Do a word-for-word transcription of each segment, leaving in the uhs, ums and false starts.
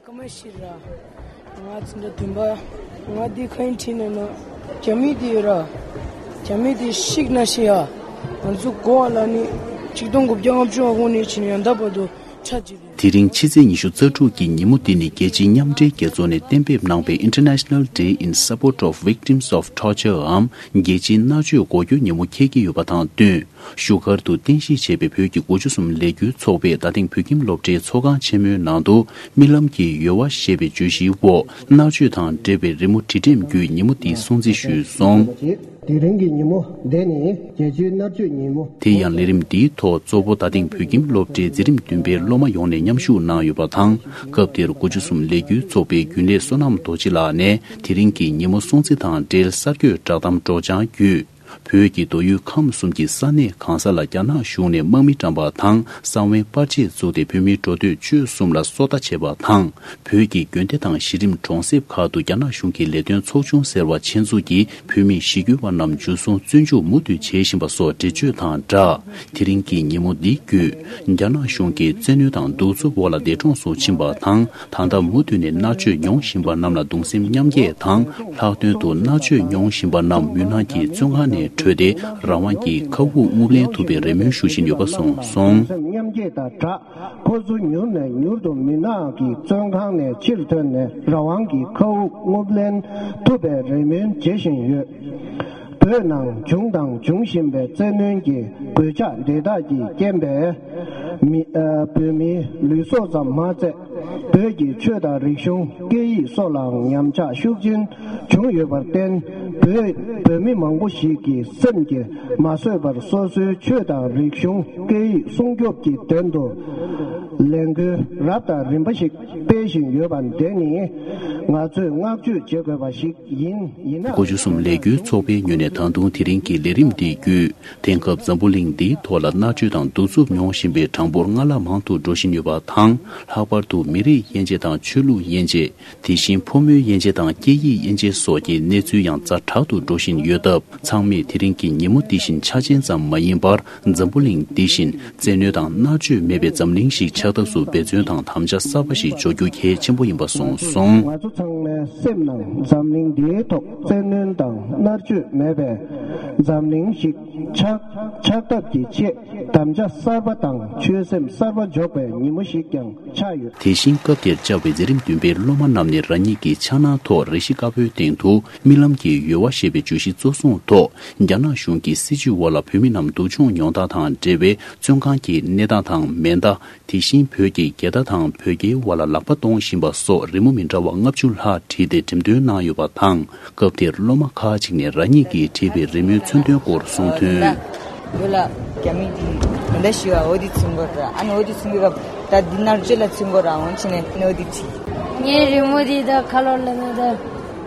ཀ་མ་ཤི་ར། ང་ཚོ་འདི་དུམ་པ། ང་འདི་ཁ་ཡིན་ཁྲིད་ནས་ན། རྒྱ་མི་འདི་ཡོད་ར། རྒྱ་མི་འདི་ཤིག་ན་ཤི་ཡ། ང་ཚོ་གོ་བ་ལ་ནི། ཆིག་སྟོང་དགུ་བརྒྱ་ལྔ་བཅུ་ང་དགུ་ནས་བྱས་ནས་ཡང་ད་བར་དུ་ཆ་གཅིག་རེད། དེ་རིང་ཕྱི་ཚེས་ཉི་ཤུ་རྩ་དྲུག་གི་ཉིན་མོ་འདི་ནི་རྒྱལ་སྤྱིའི་མཉམ་འབྲེལ་རྒྱལ་ཚོགས་ནས་གཏན་འབེབས་གནང་བའི་International Day in Support of Victims of Torture འམ་རྒྱལ་སྤྱིའི་མནར་གཅོད་འགོག་རྒྱུ་ཉིན་མོ་འཁེལ་གྱི་ཡོད་པ་དང་བསྟུན། བཞུགས་སྒར་དུ་རྟེན་གཞི་བྱས་པའི་བོད་ཀྱི་དགུ་བཅུ་གསུམ་ལས་འགུལ་ཚོགས་པས་རྡ་སྟེང་བོད་ཁྱིམ་སློབ་གྲྭའི་ཚོགས་ཁང་ཆེན་མོའི་ནང་དུ་རྨི་ལམ་གྱི་ཡོལ་བ་ཞེས་པའི་བརྗོད་གཞིའི་འོག་མནར་གཅོད་དང་འབྲེལ་བའི་རི་མོ་བྲིས་འགྲེམས་བརྒྱུད་ཉིན་མོ་འདི་སྲུང་བརྩི་ཞུས་སོང་། དེ་རིང་གི་ཉིན་མོ་འདི་ནི་རྒྱལ་སྤྱིའི་མནར་གཅོད་ཉིན་མོ། དེ་ཡང་ལས་རིམ་འདིའི་ཐོག་གཙོ་བོ་རྡ་སྟེང་བོད་ཁྱིམ་སློབ་གྲྭའི་འཛིན་རིམ་བདུན་པའི་སློབ་མ་ཡོངས་ནས་མཉམ་ཞུགས་གནང་ཡོད་པ་དང་། སྐབས་དེར་དགུ་བཅུ་གསུམ་ལས་འགུལ་ཚོགས་པའི་རྒྱུན་ལས་བསོད་ནམས་རྡོ་རྗེ་ལགས་ནས་དེ་རིང་གི་ཉིན་མོ་སྲུང་བརྩི་དང་འབྲེལ་གསར་འགོད་བསྒྲགས་གཏམ་སྒྲོག་སྦྱང་བརྒྱུད། བོད་ཀྱི་མདོ་དབུས་ཁམས་གསུམ་གྱི་ས་གནས་གང་ས་ལ་རྒྱ་ནག་གཞུང་ནས་དམག་མི་བཀྲམ་པ་དང་གསང་བའི་པར་ཆས་བཙུགས་ཏེ་བོད་མིའི་འགྲོ་སྡོད་སྤྱོད་གསུམ་ལ་སོ་ལྟ་བྱས་པ་དང་། བོད་ཀྱི་དགོན་སྡེ་དང་གཞི་རིམ་གྲོང་གསེབ་ཁག་ཏུ་རྒྱ་ནག་གཞུང་གི་ལས་དོན་ཚོགས་ཆུང་ཟེར་བ་ཆེད་འཛུགས་ཀྱིས་བོད་མི་ཞི་རྒོལ་བ་རྣམས་འཇུ་བཟུང་བཙོན་འཇུག་མུ་མཐུད་བྱེད་བཞིན་པ་སོགས་འགྲེལ་བརྗོད་དང་སྦྲགས། དེ་རིང་གི་ཉིན་མོ་འདི་བརྒྱུད། རྒྱ་ནག་གཞུང་གིས་བཙན་གནོན་དང་གདུག་རྩུབ་འོག་ལ་འདས་གྲོངས་སུ་ཕྱིན་པ་དང་། ད་ལྟ་མུ་མཐུད་ནས་མནར་གཅོད་མྱོང་བཞིན་པ་རྣམས་ལ་གདུང་སེམས་མཉམ་སྐྱེད་དང་། ལྷག་དོན་དུ་མནར་གཅོད་མྱོང་བཞིན་པ་རྣམས་མུན་ནག་གི་བཙོན་ཁང་ནས་གྲོལ་ཏེ་རང་དབང་གི་མཁའ་དབུགས་རྔུབ་ལེན་ཐུབ་པའི་རེ་སྨོན་ཞུ་བཞིན་ཡོད་པ་གསུངས་སོང་། སེམས་མཉམ་སྐྱེད་དང་སྦྲགས། ཁོ་ཚོ་མྱུར་ནས་མྱུར་དུ་མུན་ནག་གི་བཙོན་ཁང་ནས་ཕྱིར་ཐོན་ནས་རང་དབང་གི་མཁའ་དབུགས་རྔུབ་ལེན་ཐུབ་པའི་རེ་སྨོན་བྱེད་བཞིན་ཡོད། བོད་ནང་བྱུང་དང་འབྱུང་བཞིན་པའི་བཙན་གནོན་གྱི་གོད་ཆག་འདི་དག་གི་རྐྱེན་པས་མི་ཨ་བོད་མིའི་ལུས་སྲོག་ཙམ་མ་ཚད། བོད་ཀྱི་ཆོས་དང་རིག་གཞུང་སྐད་ཡིག་སོགས་ལའང་ཉམས་ཆག་ཤུགས་ཆེན་བྱུང་ཡོད་པར་བརྟེན། བོད་བོད་མི་མང་པོ་ཞིག་གི་སེམས་ཀྱིས་མ་བཟོད་པར་སོ་སོའི་ཆོས་དང་རིག་གཞུང་སྐད་ཡིག་སྲུང་སྐྱོབ་ཀྱི་དོན་དུ་ལས་འགུལ་རབ་དང་རིམ་པ་ཞིག་སྤེལ་བཞིན་ཡོད་པ་འདི་ནི་ང་ཚོས་བསྔགས་བརྗོད་བྱེད་དགོས་པ་ཞིག་ཡིན། ཡིན་ན། དགུ་བཅུ་གསུམ་ལས་འགུལ་ཚོགས་པའི་ངོས་ནས་ད་དུང་དེ་རིང་གི་ལས་རིམ་འདི་བརྒྱུད། དེང་སྐབས་འཛམ་བུ་གླིང་འདིའི་ཐོག་ལ་མནར་གཅོད་དང་གདུག་རྩུབ་མྱོང་བཞིན་པའི་གྲངས་འབོར་སྔར་ལྷག་མང་དུ་འགྲོ་བཞིན་ཡོད་པ་དང་། ལྷག་པར་དུ་མི་རིགས་དབྱེ་འབྱེད་དང་ཆོས་ལུགས་དབྱེ་འབྱེད། དེ་བཞིན་ཕོ་མོའི་དབྱེ་འབྱེད་དང་སྐད་ཡིག་དབྱེ་འབྱེད་སོགས་ཀྱི་གནས་ཚུལ་ཡང་ཛ་དྲག་ཏུ་འགྲོ་བཞིན་ཡོད་སྟབས། ཚང་མས་དེ་རིང་གི་ཉིན་མོ་འདི་བཞིན་འཆར་ཅན་ཙམ་མ་ཡིན་པར། འཛམ་བུ་གླིང་འདི་བཞིན་བཙན་གནོན་དང་མནར་གཅོད་མེད་པའི་འཛམ་གླིང་ཞིག་ཆགས་ཐབས་སུ་འབད་བརྩོན་དང་དམ་བཅའ་གསར་པ་ཞིག་འཇོག་རྒྱུ་གལ་ཆེན་པོ་ཡིན་པ་གསུངས་སོང་། ང་ཚོ་ཚང་མའི་སེམས་ནང་འཛམ་གླིང་འདིའི་ཐོག་བཙན་གནོན་དང་མནར་གཅོད་མེད་པའི་འཛམ་གླིང་ཞིག་ཆགས་ཆགས་ཐབས་ཀྱི་ཆེད་དམ་བཅའ་གསར་པ་དང་ཆོད་སེམས་གསར་པ་འཇོག་པའི་ཉིན་མོ་ཞིག་ཀྱང་ཆགས་ཡོད། དེ་བཞིན་སྐབས་དེར་བཅར་བའི་འཛིན་རིམ་བདུན་པའི་སློབ་མ་རྣམས་ནས་རང་ཉིད་ཀྱི་ཕྱག་ནང་ཐོག་རས་གཞི་དཀར་པོའི་སྟེང་དུ་རྨི་ལམ་གྱི་ཡོལ་བ་ཞེས་པའི་བརྗོད་གཞི་གཙོ་བཟུང་ཐོག་རྒྱ་ནག་གཞུང་གི་སྲིད་བྱུས་འོག་ལ་བོད་མི་རྣམས་སྡུག་སྦྱོང་མྱོང་སྟངས་དང་འབྲེལ་བའི་བཙོན་ཁང་གི་གནས་སྟངས་དང་མེ་མདའ། དེ་བཞིན་བོད་ཀྱི་རྒྱལ་དར་དང་བོད་རྒྱའི་དབར་ལ་ལག་པ་གཏོང་བཞིན་པ་སོགས་རི་མོ་མི་འདྲ་བ་ལྔ་བཅུ་ལྷག་བྲིས་ཏེ་འགྲེམས་སྟོན་གནང་ཡོད་པ་དང་། སྐབས་དེར་སློབ་མ་ཁག་ཅིག་ནས་རང་ཉིད་ཀྱིས་བྲིས་པའི་རི་མོའི་མཚོན་དོན་སྐོར་གསུངས་དོན། བོད་ལ་རྒྱ་མི་དེ་ད་ལྟ་ཞུ་བ་འོ་དེ་ཚུན་གོ་ར་ཨ་ནི་འོ་དེ་ཚུན་གོ་ད་འདི་ནར་ཅོ་ལ་ཚུན་གོ་ར་འོང་ཕྱིན་ནས་འོ་དེ་བྲིས། ངའི་རི་མོ་དེ་ད་ཁ་ལོ་ལ་ན་ད་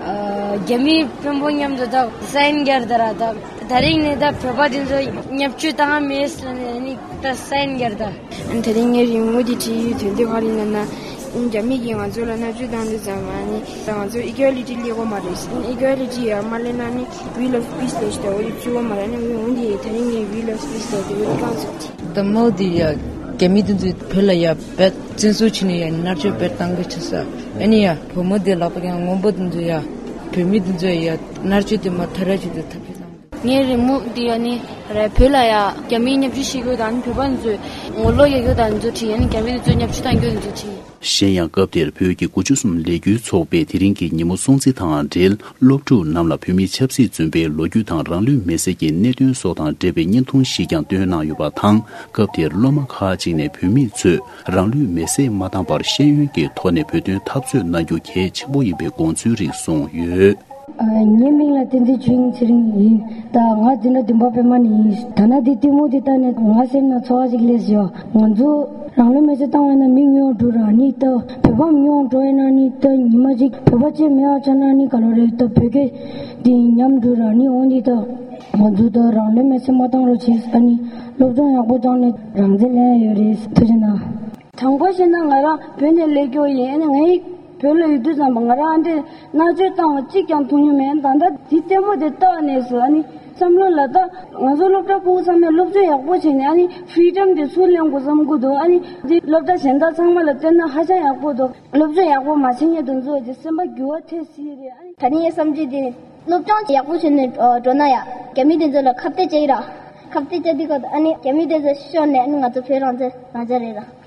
རྒྱ་མིའི་དཔོན་པོ་མཉམ་དུ་ད་སའིན་རྒྱར་ད་ར་ད། ད་རིང་ནས་ད་བོད་པ་དེ་ཚོ་བརྙས་བཅོས་བཏང་མེད་ཟེར་ནས་ནི་ད་སའིན་རྒྱར་ད། ཨ་ནི་དེ་རིང་ངའི་རི་མོ་འདི་བྲིས་ཡོད་དོན་དེ་ག་རེ་ཡིན་ན་ན། རྒྱ་མི་གིས་ང་ཚོ་ལ་མནར་གཅོད་བཏང་དུས་ཙམ་ཨ་ནི་ད་ང་ཚོ་ཨི་ཀོ་ལི་ཊི་སླེབས་ཀྱི་མ་རེད། ཨི་ཀོ་ལི་ཊི་ཡར་མ་སླེབས་ན་ནི་We Love Peace ལབ་ཤི་ད་འོ་དེ་བྲིས་ཀྱི་མ་རེད། ཨ་ནི་འོ་དེ་དེ་རིང་ངས་We Love Peace ལབ་དེ་འོ་དེ་བཏང་ཚུགས་ཀྱི། ད་མོ་དེ་ཡ་རྒྱ་མི་དེ་ཚོས་བོད་ལ་ཡ་བེད་བཙན་བཟུང་བྱས་ནས་ཡ་མནར་གཅོད་བེད་བཏང་གི་ཆགས་ས། ཨ་ནི་ཡ་བུ་མོ་དེ་ལག་པ་ཀྱང་སྔོན་པོ་དེ་ཚོ་ཡ་བོད་མི་དེ་ཚོ་ཡ་མནར་གཅོད་དེ་མ་ཐར་ར་བྱེད་དུ་ཐབས་ཤེས་བཏང་། ངའི་རི་མོ་འདི་ཡ་ནི་རེད། བོད་ལ་ཡ་རྒྱ་མིའི་བརྙས་བཅོས་བྱེད་རྒྱུ་དང་བོད་པ་ཚོས་ངོ་ལོག་རྒྱག་རྒྱུ་དང་ཚོ་བྲིས། ཡ་ནི་རྒྱ་མི་ཚོས་བརྙས་བཅོས་བཏང་རྒྱུ་ཚོ་བྲིས། གཞན་ཡང་སྐབས་དེར་བོད་ཀྱི་དགུ་བཅུ་གསུམ་ལས་འགུལ་ཚོགས་པས་དེ་རིང་གི་ཉིན་མོ་སྲུང་བརྩི་དང་འབྲེལ་སློབ་ཕྲུག་རྣམས་ལ་བོད་མིའི་ཆབ་སྲིད་བཙོན་པའི་ལོ་རྒྱུས་དང་རང་ལུས་མེར་སྲེག་གི་གནད་དོན་སོགས་དང་འབྲེལ་བའི་བརྙན་ཐུང་ཞིག་ཀྱང་བཏོན་གནང་ཡོད་པ་དང་། སྐབས་དེར་སློབ་མ་ཁག་ཅིག་ནས་བོད་མི་ཚོས་རང་ལུས་མེར་སྲེག་མ་བཏང་བར་ཤེས་ཡོན་གྱི་ཐོག་ནས་བོད་དོན་འཐབ་རྩོད་གནང་རྒྱུ་གལ་ཆེན་པོ་ཡིན་པའི་དགོངས་ཚུལ་རིགས་གསུངས་ཡོད། ངའི་མིང་ལ་བསྟན་འཛིན་ཆོས་དབྱིངས་ཚེ་རིང་ཡིན། ད་ང་འཛིན་གྲྭ་བདུན་པ་པད་མ་ནས་ཡིན། ད་ན་འདི་ལྟད་མོ་འདི་ལྟ་ནས་ང་སེམས་ནང་ཚོར་བ་ཞིག་སླེབས་ཡོད། ང་ཚོ་རང་ལུས་མེར་སྲེག་བཏང་བ་ན་མི་ཉུང་འགྲོ་ར་ནི་ད་བོད་པ་ཉུང་འགྲོ་ཡིན་ན་ནི་ད་ཉི་མ་གཅིག་བོད་པ་གཅིག་མེད་པ་ཆགས་ན་ནི་ག་ལོ་རེད། ད་བོད་སྐད་འདི་ཉམས་འགྲོ་ར་ནི་འོ་འདི་ད་ང་ཚོ་ད་རང་ལུས་མེར་སྲེག་མ་བཏང་རོགས་བྱེད་ཨ་ནི་སློབ་སྦྱོང་ཡག་པོ་སྦྱངས་ནས་རང་བཙན་ལེན་ཡོད་རེད། ཐུགས་རྗེ་གནང་། དྲང་པོ་བཤད་ན་ང་རང་བོད་ནས་སླེབས་ཀྱི་ཡིན། ཨ་ནི་ངའི་བོད་ལ་ཡོད་དུས་ཙམ་པ་ང་རང་ཨ་འདྲས་མནར་གཅོད་བཏང་བ་གཅིག་ཀྱང་མཐོང་མྱོང་མེད། ད་ལྟ་འདི་ལྟད་མོ་དེ་ལྟ་བ་ནས་སུ་ཨ་ནི་ བསམ་བློ་ལ་ད་ང་ཚོ་སློབ་གྲྭ་ཕྲུ་གུ་ཚང་མས་སློབ་སྦྱོང་ཡག་པོ་བྱས་ནས་ཨ་ནི་ཕི་རི་ཌམ་དེ་ཚུར་ལེན་དགོས་བསམ་གྱི་འདུག་ཨ་ནི་འདི་སློབ་གྲྭ་གཞན་དག་ཚང་མ་ལ་བལྟས་ན་ཧ་ཅང་ཡག་པོ་འདུག་སློབ་སྦྱོང་ཡག་པོ་མ་བྱེད་མཁན་དེ་ཚོ་དེ་སེམས་པ་འགྱུར་བ་ཐེབས་སྲིད་རེད། ཨ་ནི་ད་ནི་ངའི་བསམ་ཚུལ་དེ་ནི་སློབ་སྦྱོང་ཡག་པོ་བྱས་ནས་འགྲོ་ན་ཡ་རྒྱ་མི་དེ་ཚོ་ལ་ཁ་གཏད་བཅག་ཡིན་ར། ཁ་གཏད་བཅག་དུས་སྐབས་ཨ་ནི་རྒྱ་མི་དེ་ཚོ་ཤོར་ནས་ཨ་ནི་ང་ཚོ་བོད་རང་བཙན་རང་བཙན་རེད་ར།